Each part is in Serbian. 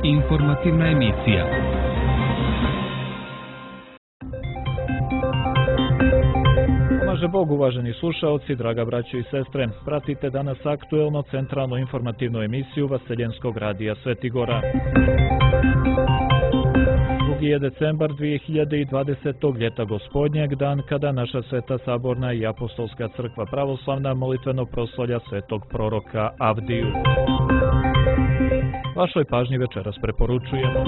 Informativna emisija. Pomaže Bog, uvaženi slušaoci, draga braćo i sestre. Pratite danas aktuelno centralnu informativnu emisiju Vaseljenskog radija Svetigora. 2. je decembar 2020. ljeta gospodnjeg, dan kada naša Sveta Saborna i Apostolska crkva pravoslavna molitveno proslavlja svetog proroka Avdiju. Vašoj pažnji večeras preporučujemo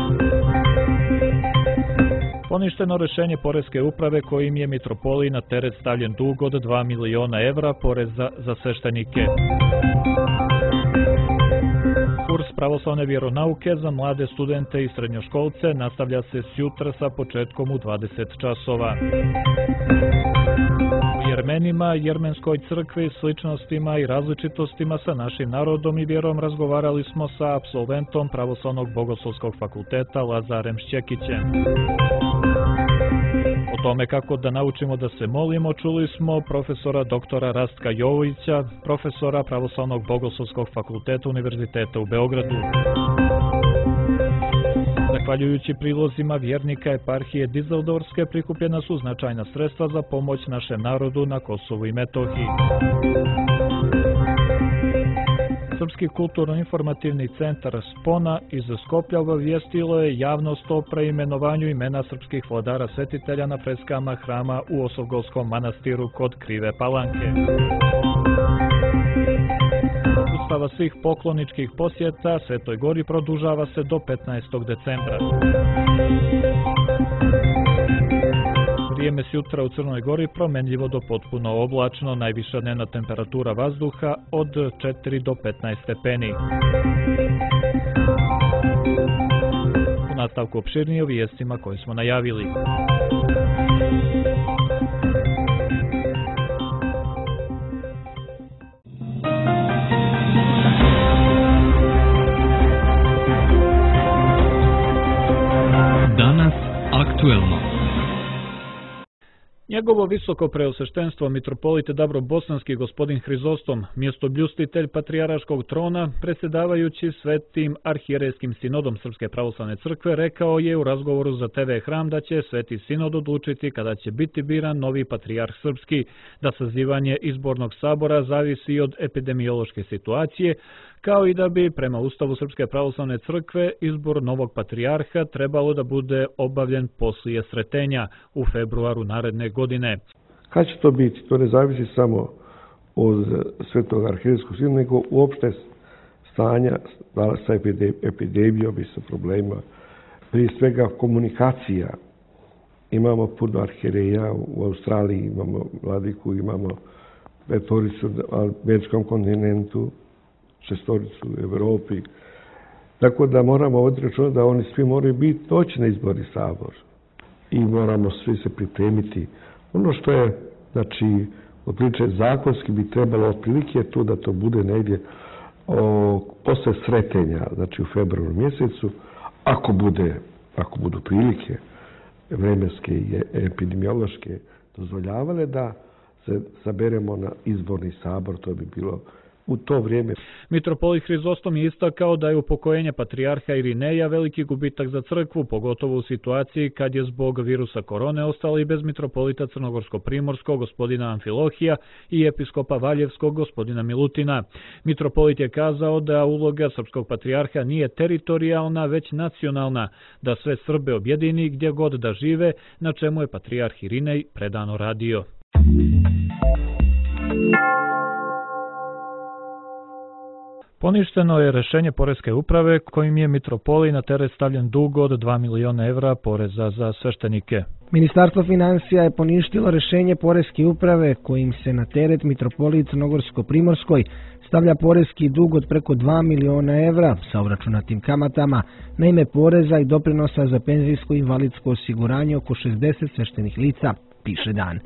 poništeno rešenje Poreske uprave kojim je mitropoliji na teret stavljen dug od 2 miliona evra poreza za sveštenike. Kurs pravoslavne vjeronauke za mlade studente i srednjoškolce nastavlja se sjutra sa početkom u 20 časova. U Jermenima, Jermenskoj crkvi, sličnostima i različitostima sa našim narodom i vjerom razgovarali smo sa apsolventom Pravoslavnog bogoslovskog fakulteta Lazarem Šćekićem. O tome kako da naučimo da se molimo čuli smo profesora doktora Rastka Jovovića, profesora Pravoslavnog bogoslovskog fakulteta Univerziteta u Beogradu. Zahvaljujući prilozima vjernika eparhije Dizeldorfske prikupljena su značajna sredstva za pomoć našem narodu na Kosovu i Metohiji. Srpski kulturno-informativni centar Spona iz Skoplja obavijestilo je javnost o preimenovanju imena srpskih vladara svetitelja na freskama hrama u Osovgolskom manastiru kod Krive Palanke. Ustava svih pokloničkih posjeta Svetoj Gori produžava se do 15. decembra. Vrijeme sjutra u Crnoj Gori promenljivo do potpuno oblačno, najviša dnevna temperatura vazduha od 4 do 15 stepeni. U nastavku opširnije o vijestima koje smo najavili. Danas aktuelno. Njegovo visoko preosveštenstvo mitropolit Dabro-Bosanski gospodin Hrizostom, mjestobljustitelj Patrijaraškog trona, predsjedavajući Svetim arhijerejskim sinodom Srpske pravoslavne crkve, rekao je u razgovoru za TV Hram da će Sveti sinod odlučiti kada će biti biran novi patrijarh srpski, da sazivanje izbornog sabora zavisi od epidemiološke situacije, kao i da bi prema Ustavu Srpske pravoslavne crkve izbor novog patrijarha trebalo da bude obavljen poslije sretenja u februaru naredne godine. Kad će to biti? To ne zavisi samo od Svetog arhijerejskog sinoda, nego uopšte stanja sa epidemijom i sa problemima. Prije svega komunikacija. Imamo puno arhijereja u Australiji, imamo vladiku, imamo petoricu na američkom kontinentu, šestoricu u Evropi. Tako da moramo voditi računa da oni svi moraju biti doći na izborni sabor. I moramo svi se pripremiti. Ono što je, znači, otprilike zakonski bi trebalo otprilike tu da to bude negdje posle sretenja, znači u februaru mjesecu, ako budu prilike vremenske i epidemiološke dozvoljavale da se saberemo na izborni sabor, to bi bilo u to vrijeme. Mitropolit Hrizostom je istakao da je upokojenje patrijarha Irineja veliki gubitak za crkvu, pogotovo u situaciji kad je zbog virusa korone ostali bez mitropolita Crnogorsko-Primorskog gospodina Amfilohija i episkopa Valjevskog gospodina Milutina. Mitropolit je kazao da uloga srpskog patrijarha nije teritorijalna, već nacionalna, da sve Srbe objedini gdje god da žive, na čemu je patrijarh Irinej predano radio. Poništeno je rešenje Poreske uprave kojim je mitropoliji na teret stavljen dug od 2 miliona evra poreza za sveštenike. Ministarstvo financija je poništilo rešenje Poreske uprave kojim se na teret mitropoliji Crnogorsko-Primorskoj stavlja poreski dug od preko 2 miliona evra sa obračunatim kamatama na ime poreza i doprinosa za penzijsko i invalidsko osiguranje oko 60 sveštenih lica, piše Dan.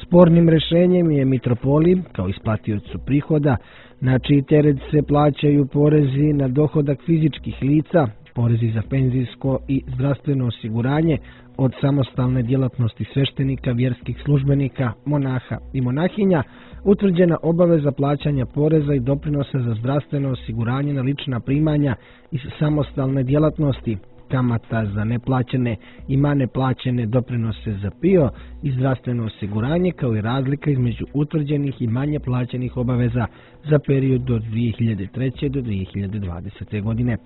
Spornim rešenjem je mitropolij, kao isplatiocu prihoda, na čiji teret se plaćaju porezi na dohodak fizičkih lica, porezi za penzijsko i zdravstveno osiguranje, od samostalne djelatnosti sveštenika, vjerskih službenika, monaha i monahinja, utvrđena obaveza plaćanja poreza i doprinosa za zdravstveno osiguranje na lična primanja iz samostalne djelatnosti, kamata za neplaćene i manje plaćene doprinose za PIO i zdravstveno osiguranje, kao i razlika između utvrđenih i manje plaćenih obaveza za period od 2003. do 2020. godine.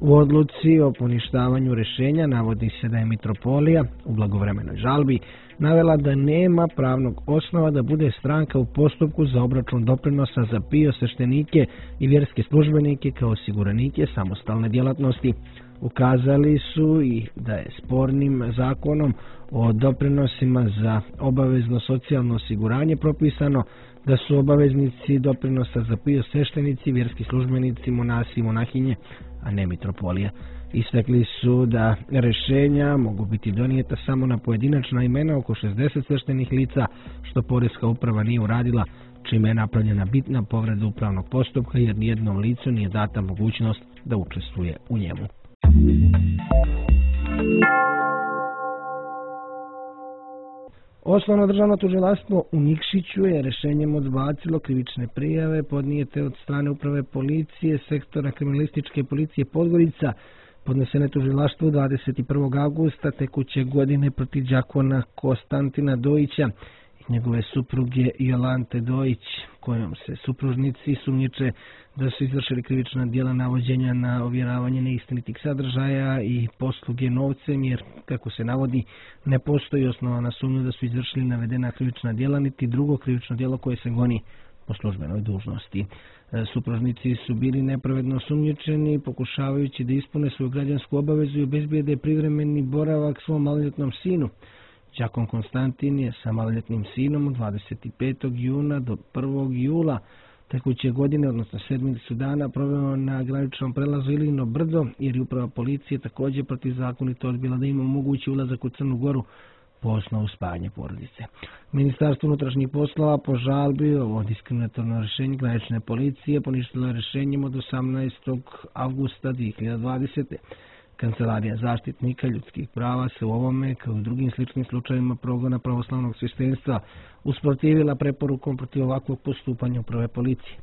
U odluci o poništavanju rješenja navodi se da je mitropolija u blagovremenoj žalbi navela da nema pravnog osnova da bude stranka u postupku za obračun doprinosa za PIO sveštenike i vjerske službenike kao osiguranike samostalne djelatnosti. Ukazali su i da je spornim zakonom o doprinosima za obavezno socijalno osiguranje propisano da su obaveznici doprinosa za PIO sveštenici, vjerski službenici, monasi i monahinje, a ne mitropolija. Istakli su da rješenja mogu biti donijeta samo na pojedinačna imena oko 60 sveštenih lica, što Poreska uprava nije uradila, čime je napravljena bitna povreda upravnog postupka jer nijednom licu nije data mogućnost da učestvuje u njemu. Osnovno državno tužilaštvo u Nikšiću je rješenjem odbacilo krivične prijave podnijete od strane uprave policije sektora kriminalističke policije Podgorica, podnesene tužilaštvu 21. augusta tekuće godine protiv đakona Konstantina Dojića i njegove supruge Jolante Dojić, kojom se supružnici sumnjiče da su izvršili krivična djela navođenja na ovjeravanje neistinitih sadržaja i posluge novcem, jer, kako se navodi, ne postoji osnovana sumnja da su izvršili navedena krivična djela, niti drugo krivično djelo koje se goni po službenoj dužnosti. Supružnici su bili nepravedno osumnjičeni, pokušavajući da ispune svoju građansku obavezu i obezbijede privremeni boravak svom maloljetnom sinu. Đakon Konstantin je sa maloljetnim sinom od 25. juna do 1. jula tekuće godine, odnosno sedmicu dana, proveo na graničnom prelazu Ilino Brdo, jer je uprava policije također protivzakonito odbila da ima mogući ulazak u Crnu Goru po osnovu spajanja porodice. Ministarstvo unutrašnjih poslova po žalbi ovo diskriminatorno rješenje granične policije poništilo je rješenjem od 18. avgusta 2020. Kancelarija zaštitnika ljudskih prava se u ovome, kao i u drugim sličnim slučajevima progona pravoslavnog sveštenstva, usprotivila preporukom protiv ovakvog postupanja uprave policije.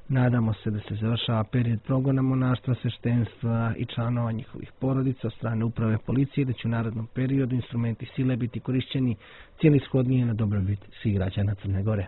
Nadamo se da se završava period progona monaštva, sveštenstva i članova njihovih porodica od strane uprave policije, da će u narednom periodu instrumenti sile biti korišćeni cijelishodnije na dobrobit svih građana Crne Gore.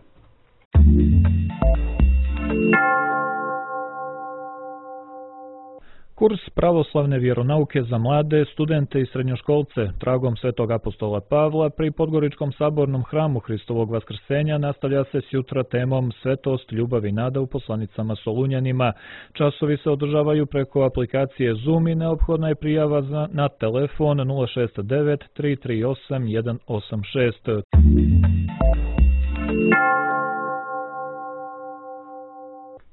Kurs pravoslavne vjeronauke za mlade, studente i srednjoškolce tragom Svetog apostola Pavla pri Podgoričkom sabornom hramu Hristovog vaskrsenja nastavlja se s jutra temom Svetost, ljubav i nada u poslanicama Solunjanima. Časovi se održavaju preko aplikacije Zoom i neophodna je prijava na telefon 069 338 186.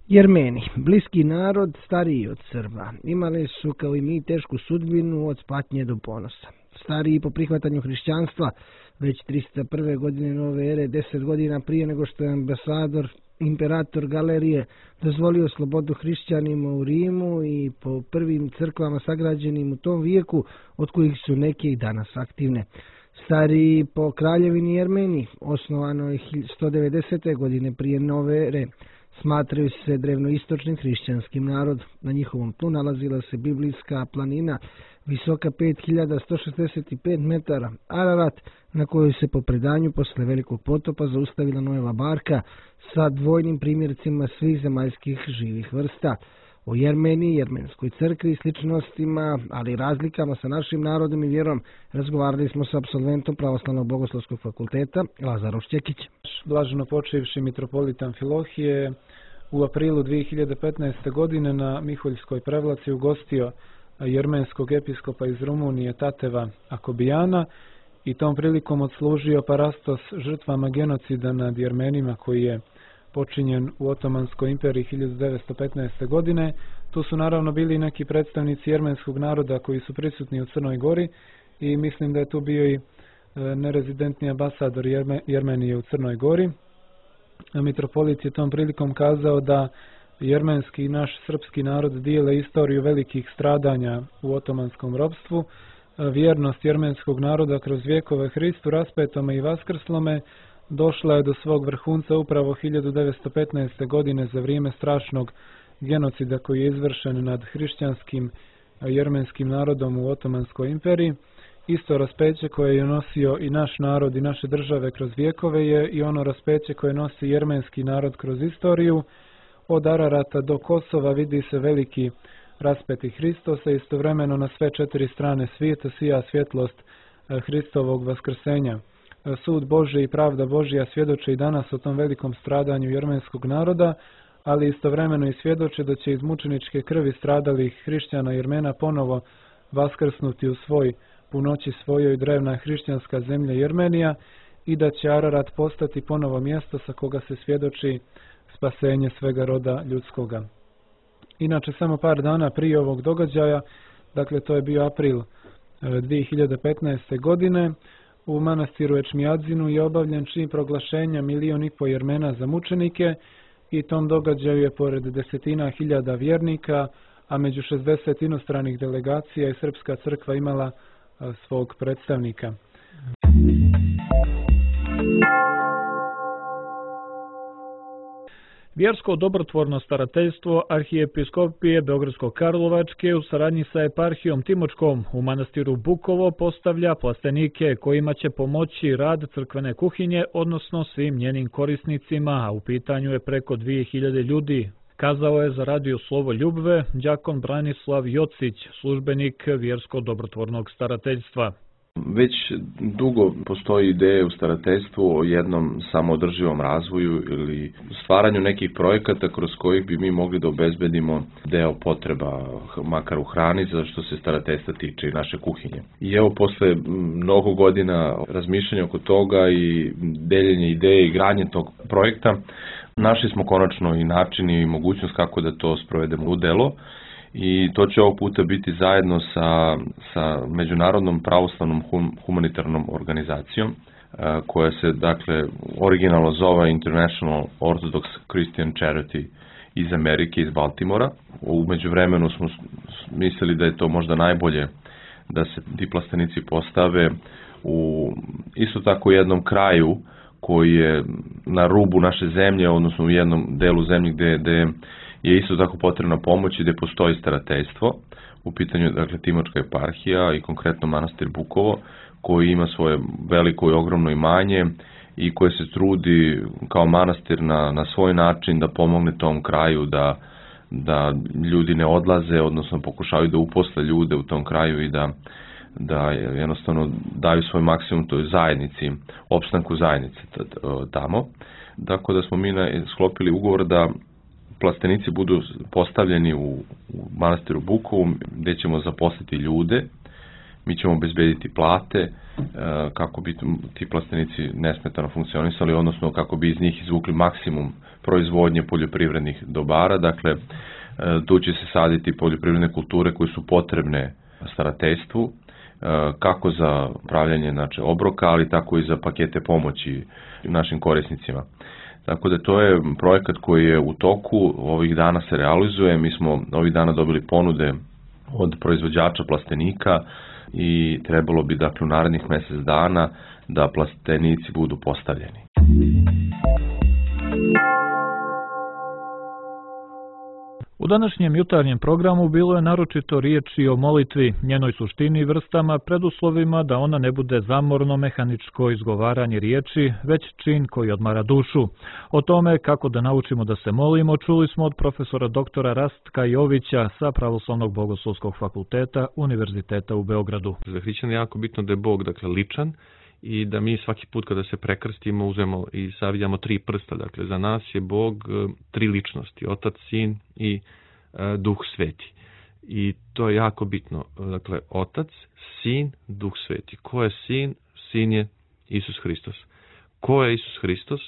Jermeni, bliski narod, stariji od Srba, imali su kao i mi tešku sudbinu od patnje do ponosa. Stariji po prihvatanju hrišćanstva već 301. godine nove ere, 10 godina prije nego što je imperator Galerije dozvolio slobodu hrišćanima u Rimu i po prvim crkvama sagrađenim u tom vijeku, od kojih su neke i danas aktivne. Stariji po kraljevini Jermeni, osnovano je 190. godine prije nove ere, smatraju se drevnoistočnim hrišćanskim narodom. Na njihovom tlu nalazila se biblijska planina visoka 5165 metara, Ararat, na kojoj se po predanju posle velikog potopa zaustavila Noeva barka sa dvojnim primjercima svih zemaljskih živih vrsta. O Jermeniji, jermenskoj crkvi i sličnostima, ali i razlikama sa našim narodom i vjerom, razgovarali smo sa apsolventom Pravoslavnog bogoslovskog fakulteta Lazarom Šćekićem. Blaženo počivši mitropolit Amfilohije u aprilu 2015. godine na Miholjskoj prevlaci ugostio jermenskog episkopa iz Rumunije Tateva Akobijana i tom prilikom odslužio parastos žrtvama genocida nad Jermenima koji je počinjen u Otomanskoj imperiji 1915. godine. Tu su naravno bili neki predstavnici jermenskog naroda koji su prisutni u Crnoj Gori i mislim da je tu bio i nerezidentni ambasador Jermenije u Crnoj Gori. Mitropolit je tom prilikom kazao da jermenski i naš srpski narod dijele istoriju velikih stradanja u otomanskom ropstvu. Vjernost jermenskog naroda kroz vjekove Hristu raspetome i vaskrslome došla je do svog vrhunca upravo 1915. godine za vrijeme strašnog genocida koji je izvršen nad hrišćanskim jermenskim narodom u Otomanskoj imperiji. Isto raspeće koje je nosio i naš narod i naše države kroz vjekove je i ono raspeće koje nosi jermenski narod kroz istoriju. Od Ararata do Kosova vidi se veliki raspeti Hristosa, istovremeno na sve četiri strane svijeta sija svjetlost Hristovog vaskrsenja. Sud Božji i pravda Božja svjedoče i danas o tom velikom stradanju jermenskog naroda, ali istovremeno i svjedoče da će iz mučeničke krvi stradalih hrišćana Jermena ponovo vaskrsnuti u svoj punoći svojoj drevna hrišćanska zemlja Jermenija i da će Ararat postati ponovo mjesto sa koga se svjedoči spasenje svega roda ljudskoga. Inače, samo par dana prije ovog događaja, dakle to je bio april 2015. godine, u manastiru Ečmijadzinu je obavljen čin proglašenja 1,5 miliona Jermena za mučenike i tom događaju je pored desetina hiljada vjernika, a među 60 inostranih delegacija i Srpska crkva imala svog predstavnika. Vjersko dobrotvorno starateljstvo Arhijepiskopije Beogradsko-Karlovačke u saradnji sa eparhijom Timočkom u manastiru Bukovo postavlja plastenike kojima će pomoći rad crkvene kuhinje, odnosno svim njenim korisnicima, a u pitanju je preko 2000 ljudi. Kazao je za radio Slovo Ljubve đakon Branislav Jocić, službenik Vjersko dobrotvornog starateljstva. Već dugo postoji ideja u starateljstvu o jednom samoodrživom razvoju ili stvaranju nekih projekata kroz kojih bi mi mogli da obezbedimo deo potreba, makar u hrani, za što se starateljstva tiče i naše kuhinje. I evo, posle mnogo godina razmišljanja oko toga i deljenja ideje i gradnje tog projekta, našli smo konačno i način i mogućnost kako da to sprovedemo u delo. I to će ovog puta biti zajedno sa Međunarodnom pravoslavnom humanitarnom organizacijom, koja se, dakle, originalno zove International Orthodox Christian Charity iz Amerike, iz Baltimora. U međuvremenu smo mislili da je to možda najbolje da se ti plastenici postave u isto tako jednom kraju koji je na rubu naše zemlje, odnosno u jednom delu zemlje gde je isto tako potrebna pomoć i gde postoji starateljstvo. U pitanju je, dakle, Timočka eparhija i konkretno manastir Bukovo, koji ima svoje veliko i ogromno imanje i koje se trudi kao manastir na svoj način da pomogne tom kraju, da ljudi ne odlaze, odnosno pokušavaju da uposle ljude u tom kraju i da jednostavno daju svoj maksimum toj zajednici, opstanku zajednice tamo. Tako da smo mi sklopili ugovor da plastenici budu postavljeni u manastiru Bukovu, gdje ćemo zaposliti ljude, mi ćemo obezbediti plate kako bi ti plastenici nesmetano funkcionisali, odnosno kako bi iz njih izvukli maksimum proizvodnje poljoprivrednih dobara. Dakle, tu će se saditi poljoprivredne kulture koje su potrebne starateljstvu, kako za pravljanje, znači, obroka, ali tako i za pakete pomoći našim korisnicima. Tako da to je projekat koji je u toku, ovih dana se realizuje. Mi smo ovih dana dobili ponude od proizvođača plastenika i trebalo bi, dakle, u narednih mjesec dana da plastenici budu postavljeni. U današnjem jutarnjem programu bilo je naročito riječi o molitvi, njenoj suštini, vrstama, preduslovima da ona ne bude zamorno mehaničko izgovaranje riječi, već čin koji odmara dušu. O tome kako da naučimo da se molimo čuli smo od profesora doktora Rastka Jovića sa Pravoslavnog bogoslovskog fakulteta Univerziteta u Beogradu. Za hrišćana je jako bitno da je Bog, dakle, ličan i da mi svaki put kada se prekrstimo uzmemo i savijamo 3 prsta. Dakle, za nas je Bog 3 ličnosti, Otac, Sin i Duh Sveti. I to je jako bitno. Dakle, Otac, Sin, Duh Sveti. Ko je Sin? Sin je Isus Hristos. Ko je Isus Hristos?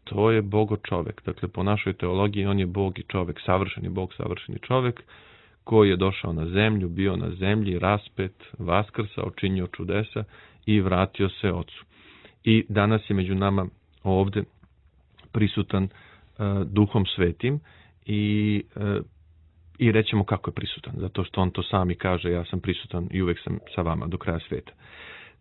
To je Bogo čovek. Dakle, po našoj teologiji on je Bog i čovek, savršeni Bog, savršeni čovek, koji je došao na zemlju, bio na zemlji, raspet, vaskrsao, činio čudesa i vratio se Ocu. I danas je među nama ovde prisutan Duhom Svetim i rećemo kako je prisutan, zato što on to sami kaže, ja sam prisutan i uvek sam sa vama do kraja svijeta.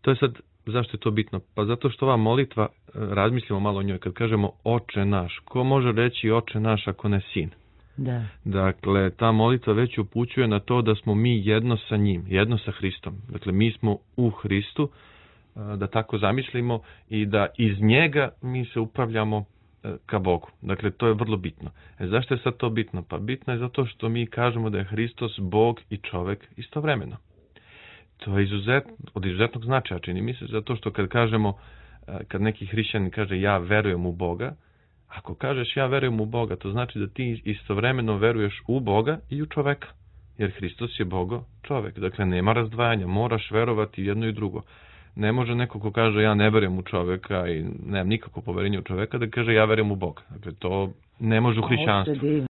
To je sad, zašto je to bitno? Pa zato što ova molitva, razmislimo malo o njoj, kad kažemo Oče naš, ko može reći Oče naš ako ne sin? Da. Dakle, ta molitva već upućuje na to da smo mi jedno sa njim, jedno sa Hristom. Dakle, mi smo u Hristu, da tako zamislimo, i da iz njega mi se upravljamo ka Bogu. Dakle, to je vrlo bitno. Zašto je sad to bitno? Pa bitno je zato što mi kažemo da je Hristos Bog i čovek istovremeno. To je od izuzetnog značaja, čini mi se, zato što kad kažemo, kad neki hrišćanin kaže ja verujem u Boga, ako kažeš ja verujem u Boga, to znači da ti istovremeno veruješ u Boga i u čoveka. Jer Hristos je Bogo čovek. Dakle, nema razdvajanja, moraš verovati jedno i drugo. Ne može neko ko kaže ja ne verujem u čoveka i nemam nikako poverenje u čoveka da kaže ja verujem u Boga. Dakle, to ne može u hrišćanstvu.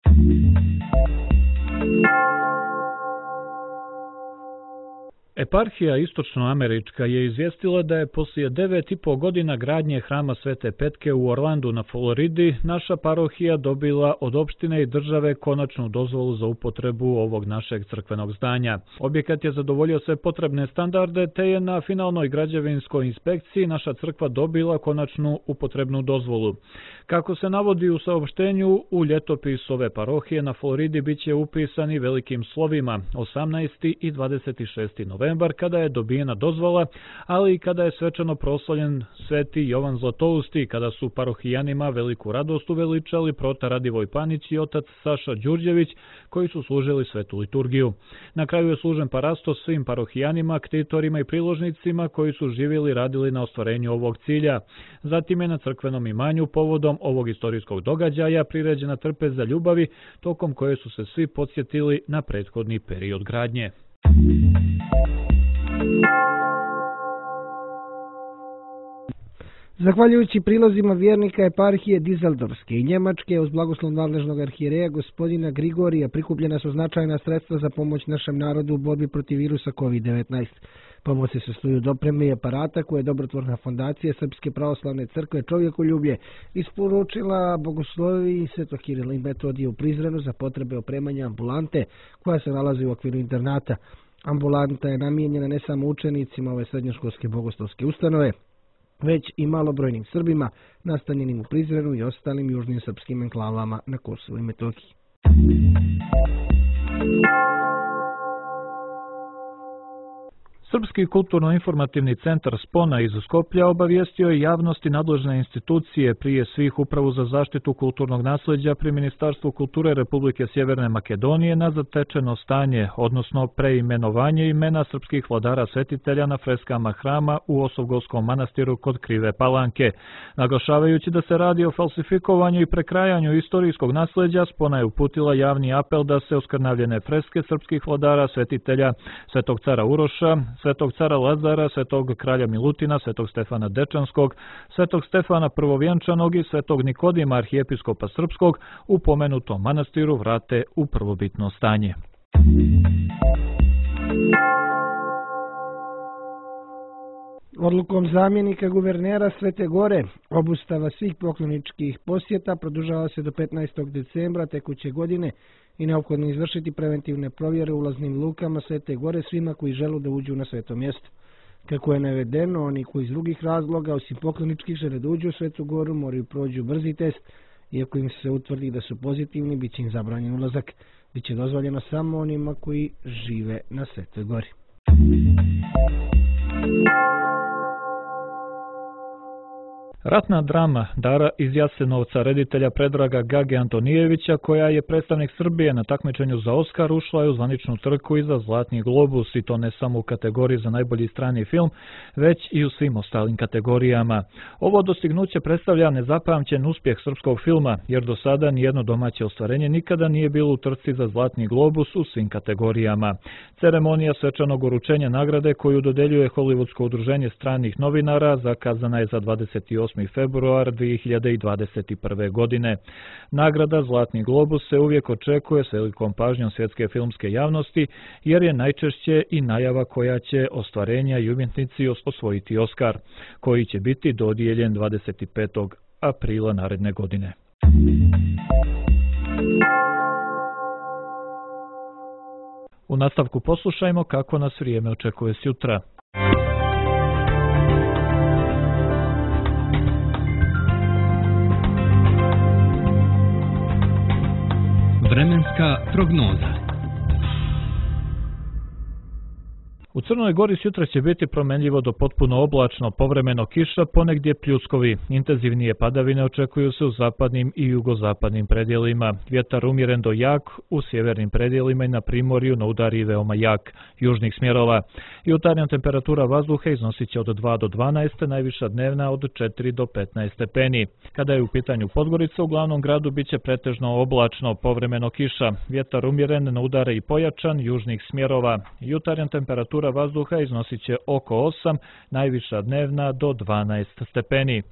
Eparhija istočnoamerička je izvijestila da je poslije 9,5 godina gradnje hrama Svete Petke u Orlandu na Floridi naša parohija dobila od opštine i države konačnu dozvolu za upotrebu ovog našeg crkvenog zdanja. Objekat je zadovoljio sve potrebne standarde, te je na finalnoj građevinskoj inspekciji naša crkva dobila konačnu upotrebnu dozvolu. Kako se navodi u saopštenju, u ljetopis ove parohije na Floridi bit će upisani velikim slovima 18. i 26. novembar kada je dobijena dozvola, ali i kada je svečano proslavljen Sveti Jovan Zlatousti, kada su parohijanima veliku radost uveličali prota Radivoj Panić i otac Saša Đurđević, koji su služili svetu liturgiju. Na kraju je služen parastos svim parohijanima, ktitorima i priložnicima koji su živjeli i radili na ostvarenju ovog cilja. Zatim je na crkvenom imanju povodom ovog istorijskog događaja priređena trpeza ljubavi, tokom koje su se svi podsjetili na prethodni period gradnje. Zahvaljujući prilozima vjernika eparhije Dizeldorfske i Njemačke uz blagoslov nadležnog arhijereja gospodina Grigorija prikupljena su značajna sredstva za pomoć našem narodu u borbi protiv virusa COVID-19. Pomoć se sastoji od opreme i aparata koje je dobrotvorna fondacija Srpske pravoslavne crkve Čovjekoljublje isporučila bogoslovi Svetog Kirila i Metodija u Prizrenu za potrebe opremanja ambulante koja se nalazi u okviru internata. Ambulanta je namijenjena ne samo učenicima ove srednjoškolske bogoslovske ustanove, već i malobrojnim Srbima nastanjenim u Prizrenu i ostalim južnim srpskim enklavama na Kosovu i Metohiji. Srpski kulturno-informativni centar Spona iz Skoplja obavijestio je javnosti nadležne institucije, prije svih Upravu za zaštitu kulturnog nasleđa pri Ministarstvu kulture Republike Sjeverne Makedonije na zatečeno stanje, odnosno preimenovanje imena srpskih vladara svetitelja na freskama hrama u Osovgolskom manastiru kod Krive Palanke. Naglašavajući da se radi o falsifikovanju i prekrajanju istorijskog nasleđa, Spona je uputila javni apel da se oskrnavljene freske srpskih vladara svetitelja Svetog cara Uroša, Svetog cara Lazara, Svetog kralja Milutina, Svetog Stefana Dečanskog, Svetog Stefana Prvovjenčanog i Svetog Nikodima arhijepiskopa Srpskog u pomenutom manastiru vrate u prvobitno stanje. Odlukom zamjenika guvernera Svete Gore obustava svih pokloničkih posjeta produžava se do 15. decembra tekuće godine i neophodno izvršiti preventivne provjere u ulaznim lukama Svete Gore svima koji žele da uđu na sveto mjesto. Kako je navedeno, oni koji iz drugih razloga, osim pokloničkih, žele da uđu u Svetu Goru, moraju prođu brzi test. Iako im se utvrdi da su pozitivni, bit će im zabranjen ulazak. Biće dozvoljeno samo onima koji žive na Svetoj Gori. Ratna drama Dara iz Jasenovca reditelja Predraga Gage Antonijevića, koja je predstavnik Srbije na takmičenju za Oskar, ušla je u zvaničnu trku i za Zlatni globus, i to ne samo u kategoriji za najbolji strani film, već i u svim ostalim kategorijama. Ovo dostignuće predstavlja nezapamćen uspjeh srpskog filma, jer do sada nijedno domaće ostvarenje nikada nije bilo u trci za Zlatni globus u svim kategorijama. Ceremonija svečanog uručenja nagrade koju dodeljuje Hollywoodsko udruženje stranih novinara zakazana je za 28. februar 2021. godine. Nagrada Zlatni globus se uvijek očekuje s velikom pažnjom svjetske filmske javnosti, jer je najčešće i najava koja će ostvarenja i umjetnici osvojiti Oskar, koji će biti dodijeljen 25. aprila naredne godine. U nastavku poslušajmo kako nas vrijeme očekuje sutra. Vremenska prognoza. U Crnoj Gori sutra će biti promenljivo do potpuno oblačno, povremeno kiša, ponegdje pljuskovi. Intenzivnije padavine očekuju se u zapadnim i jugozapadnim predjelima. Vjetar umjeren do jak, u sjevernim predjelima i na primorju na udari veoma jak, južnih smjerova. Jutarnja temperatura vazduha iznosit će od 2 do 12, najviša dnevna od 4 do 15 stepeni. Kada je u pitanju Podgorica, u glavnom gradu biće pretežno oblačno, povremeno kiša. Vjetar umjeren na udare i pojačan, južnih smjerova. Jutarnja temperatura vazduha iznosit će oko 8, najviša dnevna do 12 stepeni.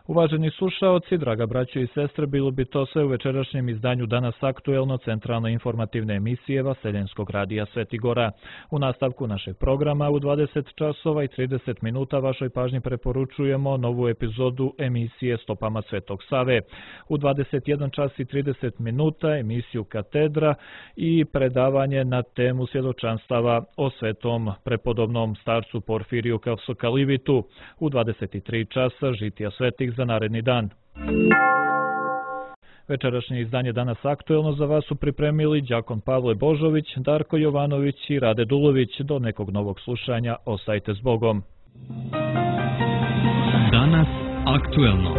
Uvaženi slušaoci, draga braćo i sestre, bilo bi to sve u večerašnjem izdanju Danas aktuelno centralne informativne emisije Vaseljenskog radija Sveti Gora. U nastavku našeg programa u 20 časova i 30 minuta vašoj pažnji preporučujemo novu epizodu emisije Stopama Svetog Save. U 21 čas i 30 minuta emisiju Katedra i predavanje na temu svjedočanstava o svetom prepodobnom starcu Porfiriju Kavsokalivitu. U 23 časa žitija svetih za naredni dan. Večerašnje izdanje Danas aktuelno za vas su pripremili đakon Pavle Božović, Darko Jovanović i Rade Dulović. Do nekog novog slušanja, ostajte s Bogom. Danas aktuelno.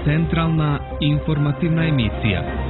Centralna informativna emisija.